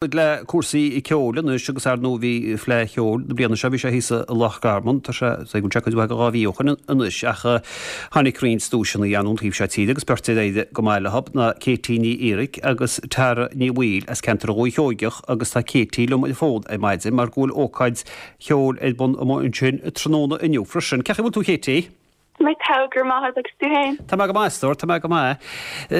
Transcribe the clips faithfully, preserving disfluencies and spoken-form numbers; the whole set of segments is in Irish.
Le cúrsaí ceoil anois agus ar ndóigh bhí Fleadh Cheoil na bliana seo bhí sé thíos i Loch Garman tá sé sé go dtí dhá mhí ó shin anois ach tháinig roinnt duaiseanna ón taobh seo tíre agus beirt ar éirigh go maith leo ná Katie Ní Fhiaraic agus Tara Ní Bhaoill as ceantar Dhúiche Sheoigeach agus tá Katie liom ar an bhfón ar maidin mar go bhfuil ócáid cheoil ar bun amuigh ansin tráthnóna inniu freisin. Cén chaoi a bhfuil tú Katie? Mé tá gur maith agus tú féin. Tá mé go maith stór, tá mé go maith.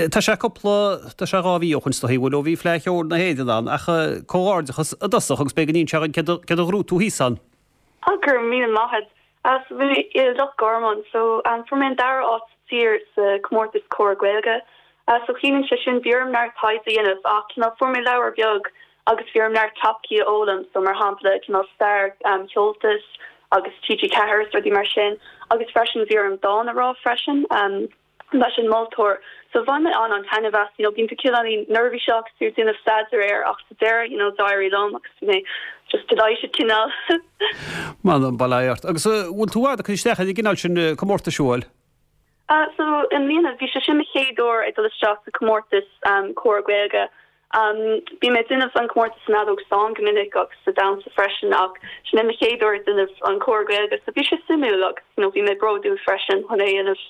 Tá sé cúpla tá sé dhá mhí ó shin is dóigh bhfuil ó bhí Fleadh Cheoil na hÉireann ann ach comhghairdeachas i dtosach agus b'fhéidir go n-inseofá dúinn céard a ghnóthaigh tú thíos ann. Á go raibh míle maith as bhí i Loch Garman so um, fuair mé an dara háit sa tír sa comórtas Comhrá Gaeilge. Uh, so ciallaíonn sé sin bhí orm neart taighde a dhéanamh ach cineál fuair mé leabhar beag agus bhí orm neart topaicí a fhoghlaim so mar shampla cineál stair um, Comhaltas agus TG Ceathair rudaí mar sin agus freisin bhí orm dán a rá freisin um, leis an moltóir so bhain mé an an-taitneamh as you know bíonn tú cineál neirbhíseach tú déanamh staidéar air ach sa deireadh you know d'éirigh liom agus mé just delighted cineál. Man an bailart agus bhfuil tú ag cur isteach ar an gcineál sin comórtas bhfuil? Uh, so i mbliana bhí sé sin mo chéad uair ag dul isteach sa comórtas um, Comhrá Gaeilge. Um, Bhí mé déanamh an comórtas an fheadóg stáin go minic agus sa damhsa freisin ach sin mo chéad uair déanamh an Comhrá Gaeilge, so bhí sé suimiúil agus you know, bhí mé bródúil freisin chun é a dhéanamh.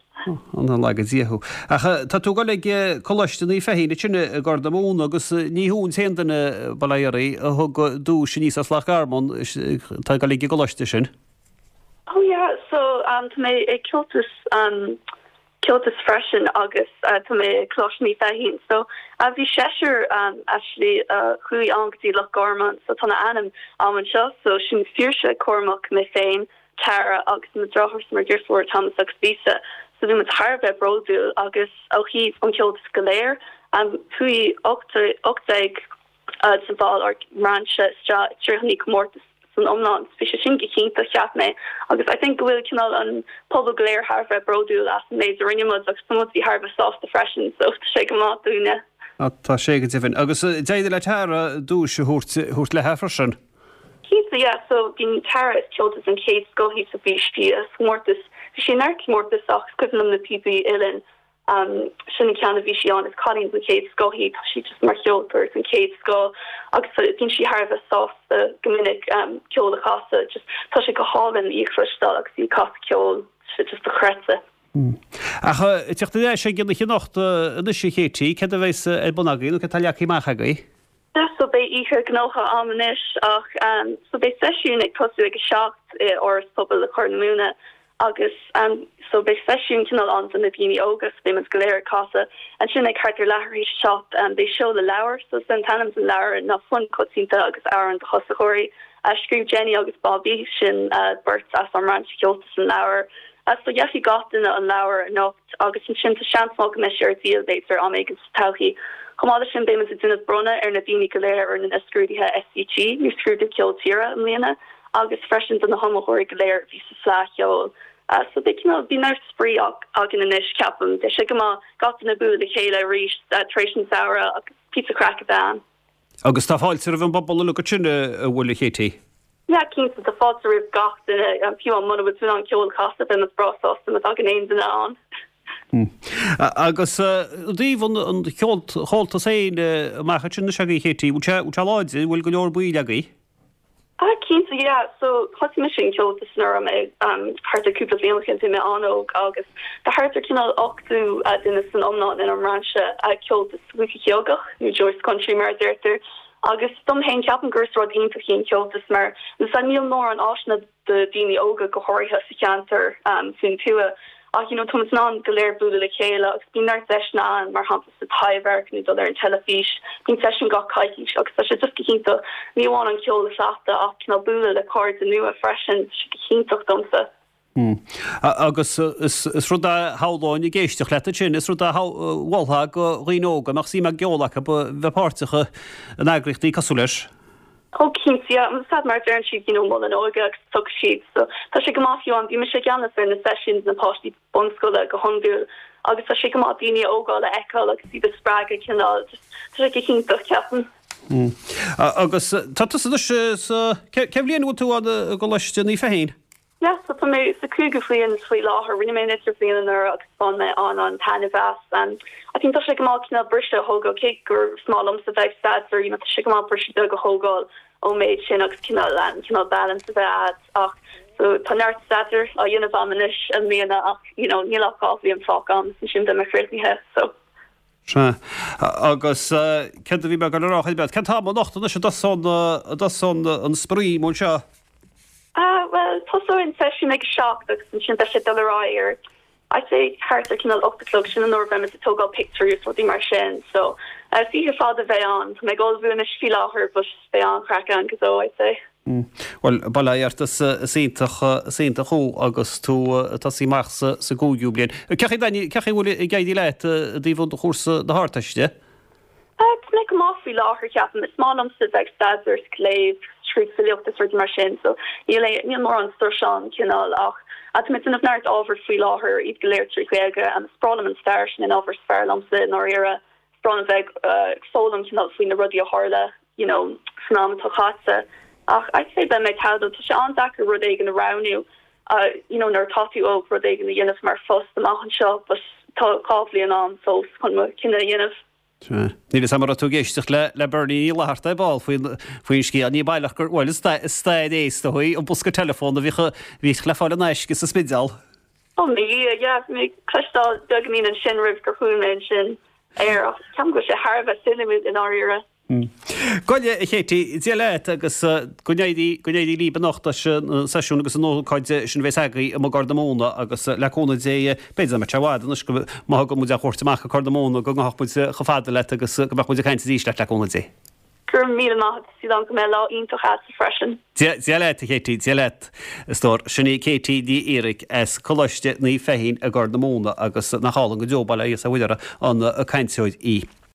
An laga díothú. Ach tá tú ag dul ag Coláiste Naomh Feichín sin i nGort na Móna agus ní thú an t-aon duine bailírí a thug duais aníos as Loch Garman tá ag dul ag an gcoláiste sin. Oh yeah, so um, tá mé ag Comhaltas um, Comhaltas freisin agus uh, tá mé Coláiste Naomh Feichín. So uh, bhí seisear um, actually uh, chuaigh an go dtí Loch Garman, so tá a ainm am anseo, so sin Saoirse Cormac mé féin, Tara agus mo dheartháir mo dheirfiúr Thomas agus Lisa. So bhí muid thar a bheith bródúil agus ó thaobh an Comhaltas go léir um, chuaigh ocht déag uh, sa bhall ár mbrainse tríocha comórtas san iomlán bhí sé sin go hiontach cheap mé agus I think go bhfuil cineál an pobal go léir thar a bheith bródúil as an méid a rinne muid agus tá muid thar a bheith sásta freisin so tá sé go maith dúinne. Tá sé go deimhin agus d'éirigh le Tara duais a thabhairt léi freisin. Cinnte yeah, so bhí Tara is Comhaltas an chéad scoth sa bhí sí comórtas bhí sí neart comórtas ach cuimhin na píopaí uilleann um, sin an ceann a bhí sí ann is cailín den chéad scoth í tá sí just mar cheoltóir den chéad scoth agus bíonn sí thar a bheith sásta go minic um, ceol a chasadh just tá sé go hálainn í a chloisteáil agus í ag casadh ceol sé just dochreidte. Mm. Ach teacht sé gin chinnocht anois a Chéití, cad a bheas ar bun agaibh nó cad tá leagtha amach agaibh? So beidh oíche gnóthach ann anois ach um, so beidh seisiún ag tosú ag a seacht i Áras Pobail le Corr na Móna agus um, so beidh seisiún cineál ann do na daoine óga so beidh go léir ag casadh ansin ag thart ar leathuair théis seacht um, beidh seoladh leabhar so san t-ainm den leabhar ná Fonn Coitianta agus Amhráin do Thosaitheoirí a scríobh Jenny agus Bobby sin uh, beirt as an mbrainse Comhaltas an leabhar. Uh, so gheobhaidh gach duine an leabhar anocht agus ansin tá seans go mbeidh sé ar díol b'fhéidir am éigin sa todhchaí. Chomh maith sin beidh muid déanamh bronnadh ar na daoine go léir a rinne na scrúduithe SCT nó scrúdú ceol tíre i mbliana agus freisin do na hiomaitheoirí go léir bhí sa Fleadh Cheoil. Uh, so bhí bhí neart spraoi againn anois ceapaim de sé go maith gach duine bualadh le chéile arís uh, tar éis an samhradh agus píosa craic a bheith. Agus tá fáilte roimh an bpobal uilig sin a bhfuil a Chéití. Ja cinnte tá fáilte roimh gach duine an fiú muna bhfuil tú an ceol casadh bheadh muid breá sásta má thagann aon duine ann. Hmm. Agus díobh an Chomhaltas féin amach sin na se Chéití, bhfuil sé láidir bhfuil go leor baill agaibh? Ah cinnte yeah so thosaigh mise an Comhaltas nuair mé um thart ar cúpla bliain ó shin mé an-óg agus tá thart ar cineál ochtó uh, duine san iomlán in an mbrainse uh, Comhaltas Dhúiche Sheoigeach nó Joyce Country mar deirtear agus dom féin ceapaim gur rud iontach an Comhaltas mar na níl mórán áiseanna do daoine óga go háirithe sa cheantar um, faoin tuath ach you know tá an go léir bualadh le chéile agus bíonn neart deiseanna ann mar shampla sa Taibhdhearc nó dul ar an teilifís bíonn seisiún gach coicís agus tá sé just go hiontach ní amháin an ceol a chleachtadh ach ná bualadh le cairde nua freisin sé go hiontach domsa. Hmm. Agus is rud a shamhlóinn ag éisteacht leat sin is rud a mholfá do dhaoine óga nach suim i gceol acu bheith páirteach in eagraíochtaí cosúil leis. Ó cinnte sad mar deireann siad you know mol an óige agus tug siad so tá sé go maith fiú an bhí mise i gceannas ar na seisiúin na páistí bunscoile go hiondúil agus tá sé go maith daoine óga a fheiceáil agus iad a spreagadh cineál tá sé go hiontach ceapaim. Hmm. Agus tá tú sa cén bhliain bhfuil tú i gColáiste Naomh Feichín? Yeah, so tá mé sa cúigiú bliain faoi láthair rinne mé an idirbhliain anuraidh agus bhain mé an an taitneamh as. Um, I think tá sé go maith cineál briseadh a thógáil cé gur is maith liomsa bheith ag staidéar, you know, tá sé go maith briseadh beag a thógáil ón méid sin agus cineál um, cineál balance a bheith agat ach so tá neart staidéir á dhéanamh agam anois i mbliana ach you know, níl ach dhá bhliain fágtha agam ansin beidh mé críochnaithe so. Sea. Agus céard a bhí mé ag rá cén t-am anocht anois a dtosaíonn an spraoi mór seo? Uh, well tosóidh an seisiún ag seacht agus ansin beidh sé dul ar aghaidh ar I'd say thart ar cineál ocht a chlog sin an uair a bheimid ag tógáil pictiúirí is rudaí mar sin so uh, oíche fada a bheidh ann Tá mé ag ullmhú anois faoi láthair but beidh an-chraic ann go deo I'd say. Mm. Well bail ó Dhia ort is iontach is iontach thú agus tú ag tosaí amach sa sa gcúigiú bliain. Cén chaoi cén chaoi bhfuil ag éirí leat i dtaobh an chúrsa na hArdteiste? Uh, tá mé go maith faoi láthair ceapaim is maith liomsa bheith ag staidéar is léamh scríobh filíocht is rudaí mar sin so níl níl mórán strus ann cineál ach tá mé ag déanamh neart ábhar faoi láthair iad go léir trí Ghaeilge an is breá liom an stair sin an ábhar is fearr liomsa ndáiríre is breá liom bheith uh, foghlaim cineál faoi na rudaí a tharla you know san am atá caite ach I'd say beidh mé tá sé an-deacair rud éigin a roghnú uh, you know nuair atá tú óg rud éigin a dhéanamh mar phost amach anseo but tá dhá bhliain ann fós chun mo chinneadh a dhéanamh. Níl a fhios agam an raibh tú ag éisteacht le le Bernie Ní Fhlatharta ar ball faoin faoin scéal ní baileach gur bhfuil stair éis do an bosca telefón a bhí bhí le fáil in aisce sa Spidéal. Ó mé mé cloisteáil beagáinín ansin roimh gur chuaigh mé ansin ar ach ceapaim go sé thar a bheith suimiúil i ndáiríre. Goile a Chéití, Dia leat agus go n-éirí go n-éirí libh anocht leis an seisiún agus an ócáid sin bheas agaibh i gCorr na Móna agus le cúnamh Dé b'fhéidir nach mbeidh sé i bhfad anois go má thugann muid a chuairt amach go Corr na Móna go ngabhfaidh muid chomh fada leat agus go mbeadh muid ag caint arís leat le cúnamh Dé. Gur míle maith an go mbeidh lá iontach agat freisin. Dia leat a Chéití, Dia leat a stór sin í Katie Ní Fhiaraic as Coláiste Naomh Feichín i gCorr na Móna agus nach álainn go deo bail ó Dhia uirthi an cainteoir í.